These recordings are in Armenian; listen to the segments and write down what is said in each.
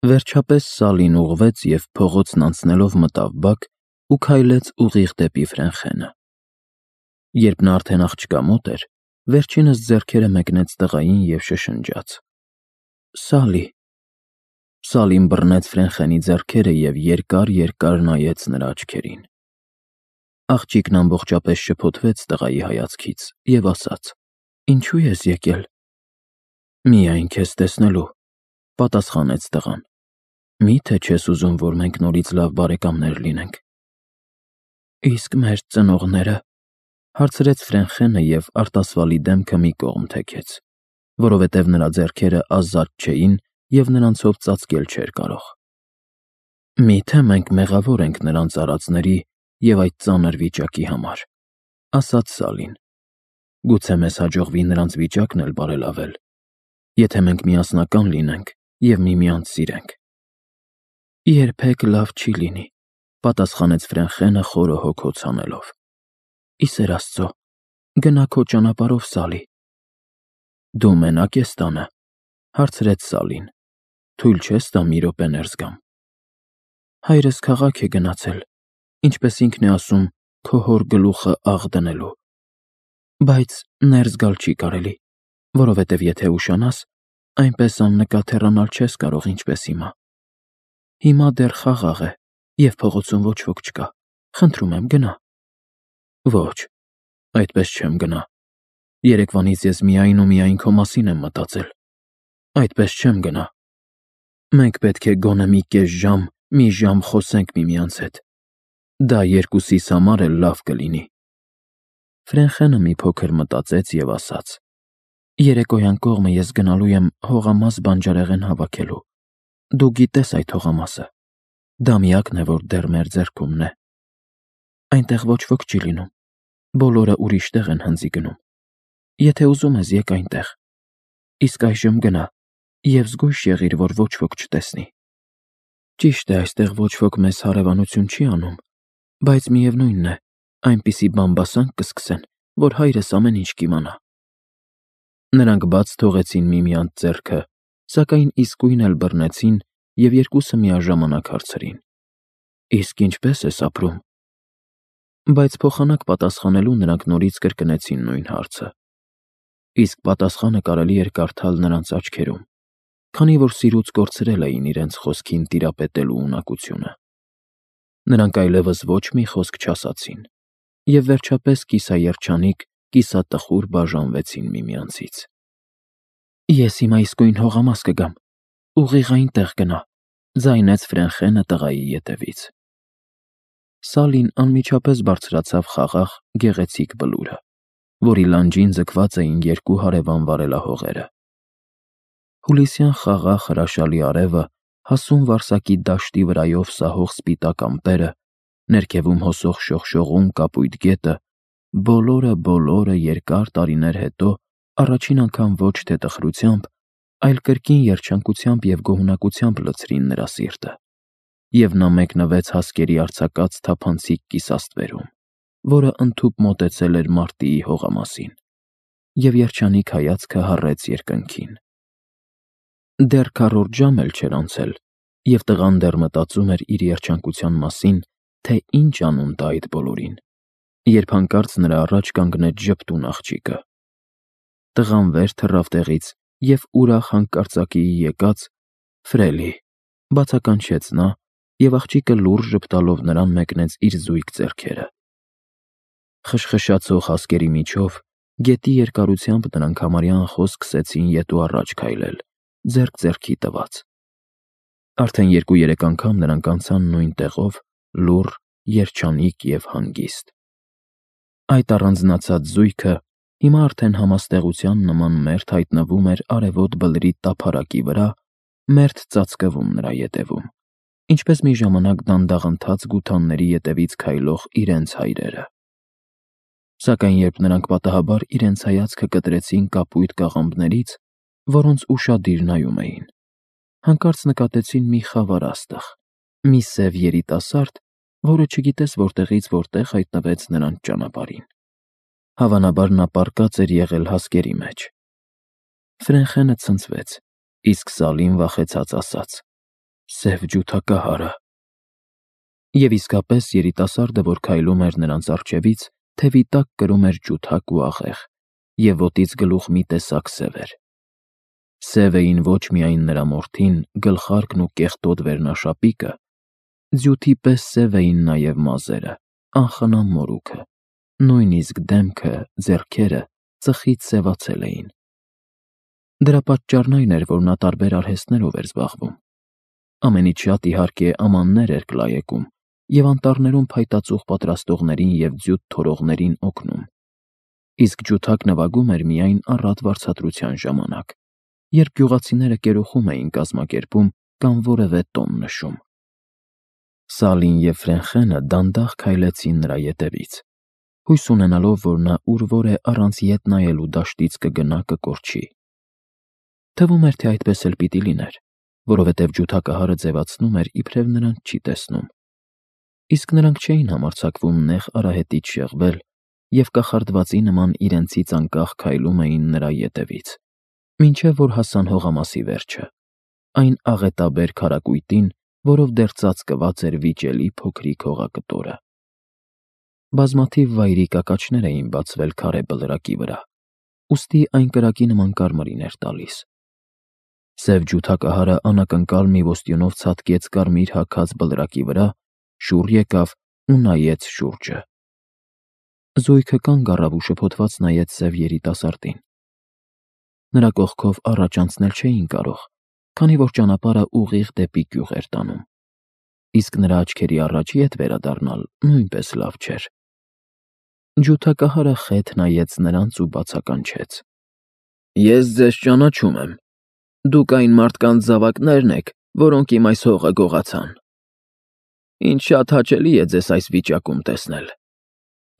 Վերջապես Սալին ուղղվեց և փողոցն անցնելով մտավ բակ ու քայլեց ուղիղ դեպի Ֆրենխենը։ Երբ նա արդեն աղջկա մոտ էր, վերջինս ձեռքերը մեկնեց տղային և շշնջաց. «Սալի»։ Սալին բռնեց Ֆրենխենի ձեռքերը և երկար նայեց նրա աչքերին։ Աղջիկն ամբողջապես շփոթվեց տղայի հայացքից և ասաց. «Ինչու ես եկել»։ «Միայն քեզ տեսնելու», պատասխանեց տղան։ «Մի՞թե չես ուզում, որ մենք նորից լավ բարեկամներ լինենք»։ «Իսկ մեր ծնողնե՞րը», հարցրեց Ֆրենխենը և արտասվալի դեմքը մի կողմ թեքեց, որովհետև նրա ձեռքերը ազատ չէին և նրանցով ծածկել չէր կարող։ «Մի՞թե մենք մեղավոր ենք նրանց արածների և այդ ծանր վիճակի համար», ասաց Սալին։ «Գուցե մեզ հաջողվի նրանց վիճակն էլ բարելավել, եթե մենք միասնական լինենք և միմյանց սիրենք»։ «Երբեք լավ չի լինի», պատասխանեց Ֆրենխենը խորը հոգոց հանելով։ «Ի սեր Աստծո, գնա քո ճանապարհով, Սալի»։ «Դու մենա՞կ ես տանը», հարցրեց Սալին։ «Թույլ չես տա մի րոպե ներս գամ»։ «Հայրս քաղաք է գնացել, ինչպես ինքն է ասում, քո հոր գլուխը աղ դնելու։ Բայց ներս գալ չի կարելի, որովհետև եթե ուշանաս, այնպես աննկատ հեռանալ չես կարող, ինչպես հիմա։ Հիմա դեռ խաղաղ է, և փողոցում ոչ ոք չկա։ Խնդրում եմ, գնա»։ «Ոչ, այդպես չեմ գնա։ Երեկվանից ես միայն ու միայն քո մասին եմ մտածել։ Այդպես չեմ գնա։ Մենք պետք է գոնե մի ժամ խոսենք միմյանց հետ։ Դա երկուսիս համար էլ լավ կլինի»։ Ֆրենխենը մի փոքր մտածեց և ասաց. «Երեկոյան կողմը ես գնալու եմ հողամաս բանջարեղեն հավաքելու։ Դու գիտես այդ հողամասը։ Դա միակն է, որ դեռ մեր ձեռքումն է։ Այնտեղ ոչ ոք չի լինում, բոլորը ուրիշ տեղ են հնձի գնում։ Եթե ուզում ես, եկ այնտեղ։ Իսկ այժմ գնա և զգույշ եղիր, որ ոչ ոք չտեսնի։ Ճիշտ է, այստեղ ոչ ոք մեզ հարևանություն չի անում, բայց միևնույն է, այնպիսի բամբասանք կսկսեն, որ հայրս ամեն ինչ կիմանա»։ Նրանք բաց թողեցին միմյանց ձեռքը, սակայն իսկույն էլ բռնեցին և երկուսը միաժամանակ հարցրին. «Իսկ ինչպե՞ս ես ապրում»։ Բայց փոխանակ պատասխանելու նրանք նորից կրկնեցին նույն հարցը։ Իսկ պատասխանը կարելի էր կարդալ նրանց աչքերում, քանի որ սիրուց կորցրել էին իրենց խոսքին տիրապետելու ունակությունը։ Նրանք այլևս ոչ մի խոսք չասացին և վերջապես կիսաերջանիկ, կիսատխուր բաժանվեցին միմյանցից։ «Ես հիմա իսկույն հողամաս կգամ, ուղիղ այնտեղ գնա», ձայնեց Ֆրենխենը տղայի ետևից։ Սալին անմիջապես բարձրացավ խաղաղ, գեղեցիկ բլուրը, որի լանջին ձգված էին երկու հարևան վարելահողերը։ Հուլիսյան խաղաղ հրաշալի արևը, հասուն վարսակի դաշտի վրայով սահող սպիտակ ամպերը, ներքևում հոսող շողշողուն կապույտ գետը, բոլորը երկար տարիներ հետո առաջին անգամ ոչ թե տխրությամբ, այլ կրկին երջանկությամբ և գոհունակությամբ լցրին նրա սիրտը, և նա մեկնվեց հասկերի արձակած թափանցիկ կիսաստվերում, որը ընդհուպ մոտեցել էր մարտիի հողամասին, և երջանիկ հայացքը հառեց երկնքին։ Դեռ քառորդ ժամ էլ չէր անցել, և տղան դեռ մտածում էր իր երջանկության մասին, թե ինչ անուն տա այդ բոլորին, երբ հանկարծ նրա առաջ կանգնեց ժպտուն աղջիկը։ Տղան վեր թռավ տեղից և ուրախ հանկարծակիի եկած «Ֆրելի», բացականչեց նա, և աղջիկը լուրջ ժպտալով նրան մեկնեց իր զույգ ձեռքերը։ Խշխշացող հասկերի միջով, գետի երկարությամբ նրանք համարյա անխոս սկսեցին ետ ու առաջ քայլել, ձեռք ձեռքի տված։ Արդեն 2-3 անգամ նրանք անցան նույն տեղով, լուռ, երջանիկ և հանգիստ։ Այդ առանձնացած զույգը հիմա արդեն համաստեղության նման մերթ հայտնվում էր արևոտ բլրի տափարակի վրա, մերթ ծածկվում նրա ետևում, ինչպես մի ժամանակ դանդաղընթաց գութանների ետևից քայլող իրենց հայրերը։ Սակայն երբ նրանք պատահաբար իրենց հայացքը կտրեցին կապույտ կաղամբներից, որոնց ուշադիր նայում էին, հանկարծ նկատեցին մի խավար աստղ, մի սև երիտասարդ, որը չգիտես որտեղից որտեղ հայտնվեց նրանց ճանապարհին։ Հավանաբար նա պառկած էր եղել հասկերի մեջ։ Ֆրենխենը ցնցվեց, իսկ Սալին վախեցած ասաց. Սև ջութակահարը։ Եվ իսկապես երիտասարդը, որ քայլում էր նրանց առջևից, թևի տակ կրում էր ջութակ ու աղեղ, և ոտից գլուխ մի տեսակ սև էր։ Սև էին ոչ միայն նրա մորթին, գլխարկն ու կեղտոտ վերնաշապիկը, ձյութի պես սև էին նաև մազերը, անխնամ մորուքը, նույնիսկ դեմքը, ձեռքերը ծխից սևացել էին։ Դրա պատճառն այն էր, որ նա տարբեր արհեստներով էր զբաղվում։ Ամենից շատ, իհարկե, ամաններ էր կլայեկում և անտառներում փայտածուղ պատրաստողներին և ձյութ թորողներին օգնում, իսկ ջութակ նվագում էր միայն առատ վարձատրության ժամանակ, երբ գյուղացիները կերոխում էին կազմակերպում կամ որևէ տոն նշում։ Սալին և Ֆրենխենը դանդաղ քայլեցին նրա ետևից, հույս ունենալով, որ նա ուր որ է առանց ետ նայելու դաշտից կգնա կկորչի։ Թվում էր, թե այդպես էլ պիտի լիներ, որովհետև ջութակահարը ձևացնում էր, իբրև նրանց չի տեսնում։ Իսկ նրանք չէին համարձակվում նեղ արահետից շեղվել և կախարդվածի նման իրենցից անկախ քայլում էին նրա ետևից, մինչև որ հասան հողամասի վերջը, այն աղետաբեր քարակույտին, որով դեռ ծածկված էր վիճելի փոքրիկ հողակտորը։ Բազմաթիվ վայրի կակաչներ էին բացվել քարե բլրակի վրա, ուստի այն կրակի նման կարմիրին էր տալիս։ Սև ջութակահարը անակնկալ մի ոստյունով ցատկեց կարմիր հագած բլրակի վրա, շուռ եկավ ու նայեց շուրջը։ Զույգը կանգ առավ ու շփոթված նայեց սև երիտասարդին։ Նրա կողքով առաջ անցնել չէին կարող, քանի որ ճանապարհը ուղիղ դեպի գյուղ էր տանում, իսկ նրա աչքերի առաջ ետ վերադառնալ նույնպես լավ չէր։ Ջութակահարը խեթ նայեց նրանց ու բացականչեց. «Ես ձեզ ճանաչում եմ։ Դուք այն մարդկանց զավակներն եք, որոնք իմ այս հողը գողացան։ Ինձ շատ հաճելի է ձեզ այս վիճակում տեսնել։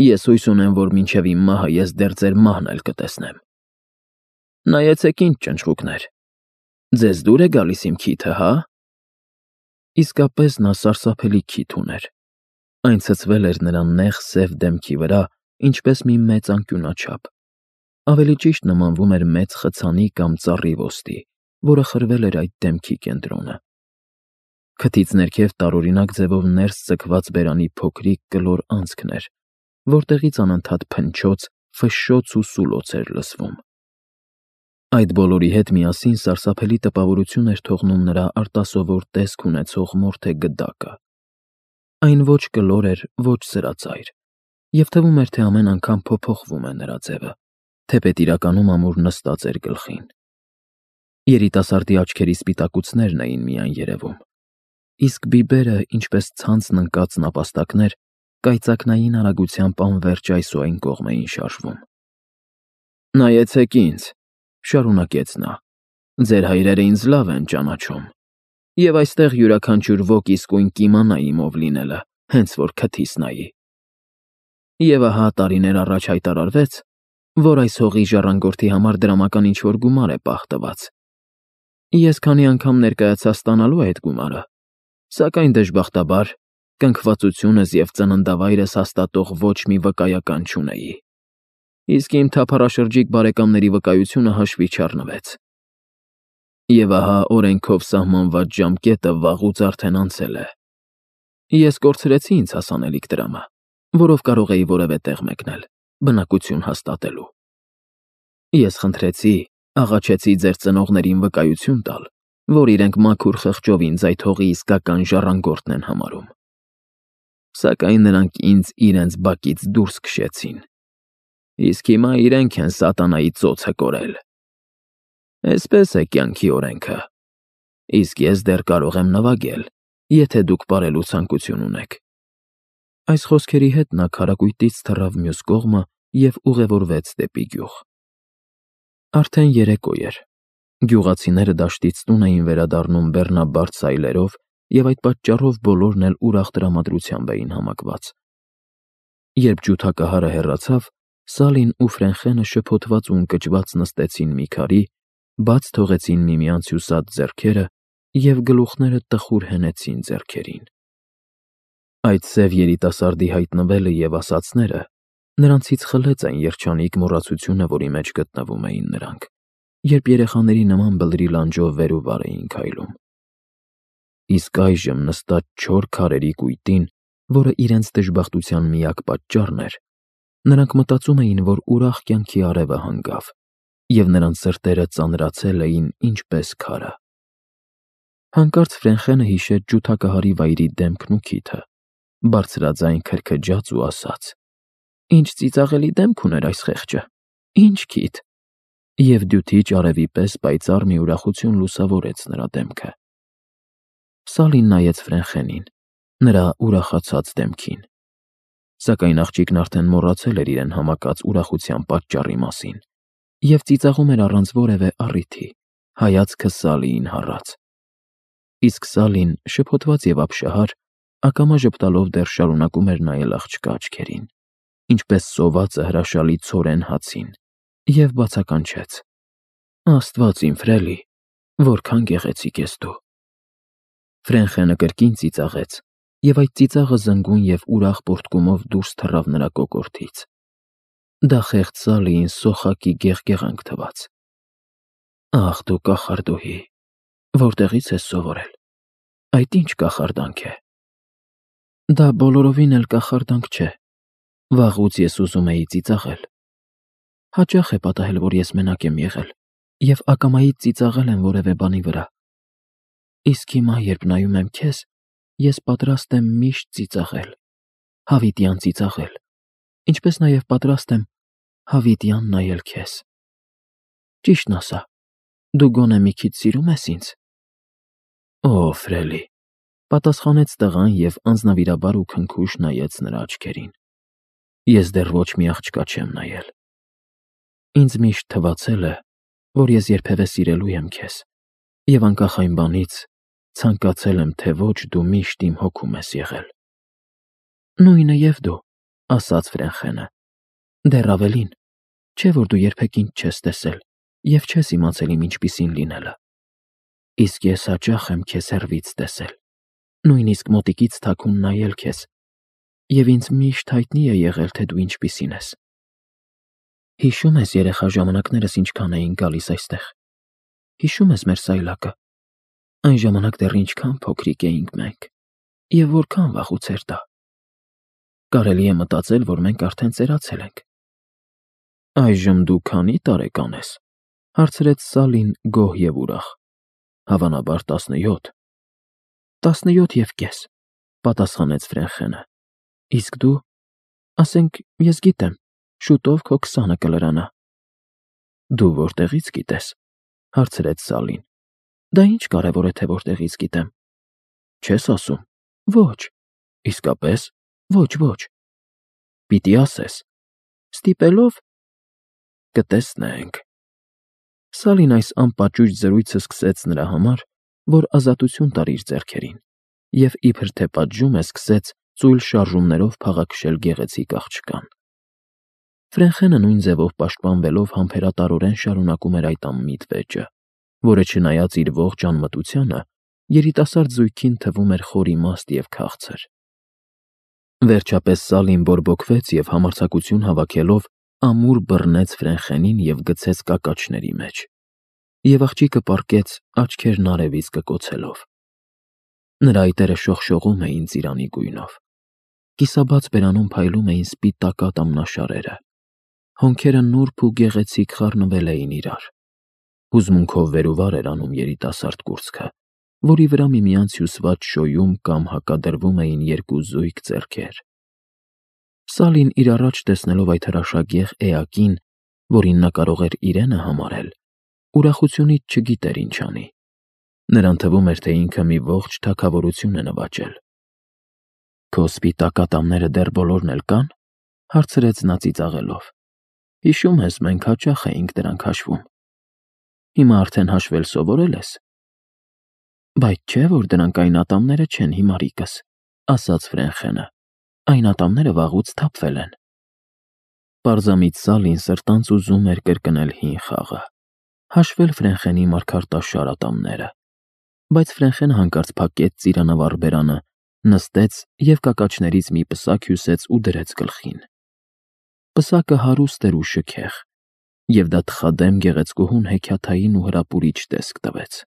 Ես հույս ունեմ, որ մինչև իմ մահը ես դեռ ձեր մահն էլ կտեսնեմ։ Նայեցեք ինձ, ճնճղուկներ, ձեզ դուր է գալիս իմ քիթը, հա»։ Իսկապես նա սարսափելի քիթ ուներ։ Այն ցցվել էր նրա նեղ սև դեմքի վրա, ինչպես մի մեծ անկյունաչափ։ Ավելի ճիշտ նմանվում էր մեծ խցանի կամ ծառի ոստի, որը խրվել էր այդ դեմքի կենտրոնը։ Քթից ներքև տարօրինակ ձևով ներս ձգված բերանի փոքրիկ կլոր անցքն էր, որտեղից անընդհատ փնչոց, ֆշշոց ու սուլոց էր լսվում։ Այդ բոլորի հետ միասին սարսափելի տպավորություն էր թողնում նրա արտասովոր տեսք ունեցող մորթե գդակը։ Այն ոչ կլոր էր, ոչ սրածայր, և թվում էր, թե ամեն անգամ փոփոխվում է նրա ձևը, թեպետ իրականում ամուր նստած էր գլխին։ Երիտասարդի աչքերի սպիտակուցներն էին միայն երևում, իսկ բիբերը, ինչպես ցանցն ընկած նապաստակներ, կայծակնային արագությամբ անվերջ այս ու այն կողմ էին շարժվում։ «Նայեցեք ինձ», շարունակեց նա, «ձեր հայրերը ինձ լավ են ճանաչում, և այստեղ յուրաքանչյուր ոք իսկույն կիմանա իմ ով լինելը, հենց որ քթիս նայի։ Եվ ահա տարիներ առաջ հայտարարվեց, որ այս հողի ժառանգորդի համար դրամական ինչ-որ գումար է պահտված։ Ես քանի անգամ ներկայացա ստանալու այդ գումարը, սակայն դժբախտաբար կնքվածությունս և ծննդավայրս հաստատող ոչ մի վկայական չունեի, իսկ իմ թափառաշրջիկ բարեկամների վկայությունը հաշվի չառնվեց։ Եվ ահա օրենքով սահմանված ժամկետը վաղուց արդեն անցել է։ Ես կորցրեցի ինձ հասանելիք տրամը, որով կարող էի որևէ տեղ մեկնել, բնակություն հաստատելու։ Ես խնդրեցի, աղաչեցի ձեր ծնողներին վկայություն տալ, որ իրենք մաքուր խղճով ինձ այդ հողի իսկական ժառանգորդն են համարում։ Սակայն նրանք ինձ իրենց բակից դուրս քշեցին, իսկ հիմա իրենք են սատանայի ծոցը կորել։ Էսպես է կյանքի օրենքը, իսկ ես դեռ կարող եմ նվագել, եթե դուք պարելու ցանկություն ունեք։ Այս խոսքերի հետ նա քարակույտից թռավ մյուս կողմը և ուղևորվեց դեպի գյուղ։ Արդեն երեկո էր։ Գյուղացիները դաշտից տուն էին վերադառնում բեռնաբարդ սայլերով, և այդ պատճառով բոլորն էլ ուրախ տրամադրությամբ էին համակված։ Երբ ջութակահարը հեռացավ, Սալին ու Ֆրենխենը շփոթված ու ընկճված նստեցին մի քարի, բաց թողեցին միմյանց հյուսած ձեռքերը և գլուխները տխուր հենեցին ձեռքերին։ Այդ սև երիտասարդի հայտնվելը և ասածները նրանցից խլեց այն երջանիկ մոռացությունը, որի մեջ գտնվում էին նրանք, երբ երեխաների նման բլրի լանջով վեր ու վար էին քայլում։ իսկ այժմ նստած չոր քարերի կույտին, որը իրենց դժբախտության միակ պատճառն էր, նրանք մտածում էին, որ ուրախ կյանքի արևը հանգավ, և նրանց սրտերը ծանրացել էին ինչպես քարը։ Հանկարծ Ֆրենխենը հիշեց ջութակահարի վայրի դեմքն ու քիթը, բարձրաձայն քրքջաց ու ասաց. «Ինչ ծիծաղելի դեմք ուներ այս խեղճը, ինչ քիթ»։ Եվ դյութիչ արևի պես պայծառ մի ուրախություն լուսավորեց նրա դեմքը։ Սալին նայեց Ֆրենխենին, նրա ուրախացած դեմքին։ Սակայն աղջիկն արդեն մոռացել էր իրեն համակած ուրախության պատճառի մասին և ծիծաղում էր առանց որևէ առիթի, հայացքը Սալիին հառած։ Իսկ Սալին, շփոթված և ապշահար, ակամա ժպտալով դեռ շարունակում էր նայել աղջկա աչքերին, ինչպես սովածը հրաշալի ցորեն հացին, և բացականչեց. «Աստված իմ, Ֆրելի, որքան գեղեցիկ ես դու»։ Ֆրենխենը կրկին ծիծաղեց, և այդ ծիծաղը զնգուն և ուրախ պոռթկումով դուրս թռավ նրա կոկորդից։ Դա խեղճ Սալիին սոխակի գեղգեղանք թվաց։ «Ախ դու կախարդուհի, որտեղի՞ց ես սովորել։ Այդ ինչ կախարդանք է»։ «Դա բոլորովին էլ կախարդանք չէ։ Վաղուց ես ուզում էի ծիծաղել։ Հաճախ է պատահել, որ ես մենակ եմ եղել և ակամայից ծիծաղել եմ որևէ բանի վրա։ Իսկ հիմա, երբ նայում եմ քեզ, ես պատրաստ եմ միշտ ծիծաղել, հավիտյան ծիծաղել, ինչպես նաև պատրաստ եմ հավիտյան նայել քեզ։ Ճիշտն ասա, դու գոնե մի քիչ սիրում ես ինձ»։ «Օ, Ֆրելի», պատասխանեց տղան և անձնավիրաբար ու քնքուշ նայեց նրա աչքերին։ «Ես դեռ ոչ մի աղջկա չեմ նայել։ Ինձ միշտ թվացել է, որ ես երբևէ սիրելու եմ քեզ, և անկախ այն բանից, ցանկացել եմ, թե ոչ, դու միշտ իմ հոգում ես եղել»։ «Նույնը և դու», ասաց Ֆրենխենը։ «Դեռ ավելին, չէ՞ որ դու երբեք ինձ չես տեսել և չես իմացել իմ ինչպիսին լինելը։ Իսկ ես հաճախ եմ քեզ հեռվից տեսել, նույնիսկ մոտիկից թաքուն նայել քեզ, և ինձ միշտ հայտնի է եղել, թե դու ինչպիսին ես։ Հիշո՞ւմ ես երեխա ժամանակներս ինչքան էինք գալիս այստեղ։ Հիշո՞ւմ ես մեր սայլակը։ Այն ժամանակ դեռ ինչքան փոքրիկ էինք մենք, և որքան վաղուց էր դա։ Կարելի է մտածել, որ մենք արդեն ծերացել ենք»։ «Այժմ դու քանի՞ տարեկան ես», հարցրեց Սալին գոհ և ուրախ։ «Հավանաբար 17»։ «17.5», պատասխանեց Ֆրենխենը։ «Իսկ դու, ասենք, ես գիտեմ, շուտով քո 20-ը կլրանա»։ «Դու որտեղի՞ց գիտես», հարցրեց Սալին։ «Դա ինչ կարևոր է, թե որտեղից գիտեմ։ Չես ասում։ Ոչ, իսկապես, ոչ։ Պիտի ասես։ Ստիպելո՞վ։ Կտեսնենք»։ Սալին այս անպաճույճ զրույցը սկսեց նրա համար, որ ազատություն տար իր ձեռքերին, և իբր թե պատժում է, սկսեց ծույլ շարժումներով փաղաքշել գեղեցիկ աղջկան։ Ֆրենխենը նույն ձևով պաշտպանվելով համբերատարորեն շարունակում էր այդ անմիտ վեճը, որը չնայած իր ողջ անմտությանը, երիտասարդ զույգին թվում էր խորիմաստ և քաղցր։ Վերջապես Սալին բորբոքվեց և համարձակություն հավաքելով ամուր բռնեց Ֆրենխենին և գցեց կակաչների մեջ, և աղջիկը պառկեց, աչքերն արևից կկոցելով։ Նրա այտերը շողշողում էին ծիրանի գույնով։ Կիսաբաց բերանում փայլում էին սպիտակատ ամնաշարերը։ Հոնքերը նուրբ ու գեղեցիկ խառնվել էին իրար։ Հուզմունքով վեր ու վար էր անում երիտասարդ կուրծքը, որի վրա միմյանց հյուսված շոյում կամ հակադրվում էին երկու զույգ ձեռքեր։ Սալին իր առաջ տեսնելով այդ հրաշագեղ էակին, որին նա կարող էր իրենը համարել, ուրախությունից չգիտեր ինչ անի։ Նրան թվում էր, թե ինքը մի ողջ թագավորություն է նվաճել։ «Քո սպիտակ ատամները դեռ բոլորն էլ կա՞ն», հարցրեց նա ծիծաղելով։ «Հիշում ես, մենք հաճախ էինք դրանք հաշվում։ Հիմա արդեն հաշվել սովորել ես»։ «Բայց չէ՞ որ դրանք այն ատամները չեն, հիմարիկս», ասաց Ֆրենխենը։ «Այն ատամները վաղուց թափվել են»։ Պարզամիտ Սալին սրտանց ուզում էր կրկնել հին խաղը՝ հաշվել Ֆրենխենի մարգարտաշար ատամները։ Բայց Ֆրենխենը հանկարծ փակեց ծիրանավառ բերանը, նստեց և կակաչներից մի պսակ հյուսեց ու դրեց գլխին։ Պսակը հարուստ էր ու շքեղ, և դա թխադեմ գեղեցկուհուն հեքիաթային ու հրապուրիչ տեսք տվեց։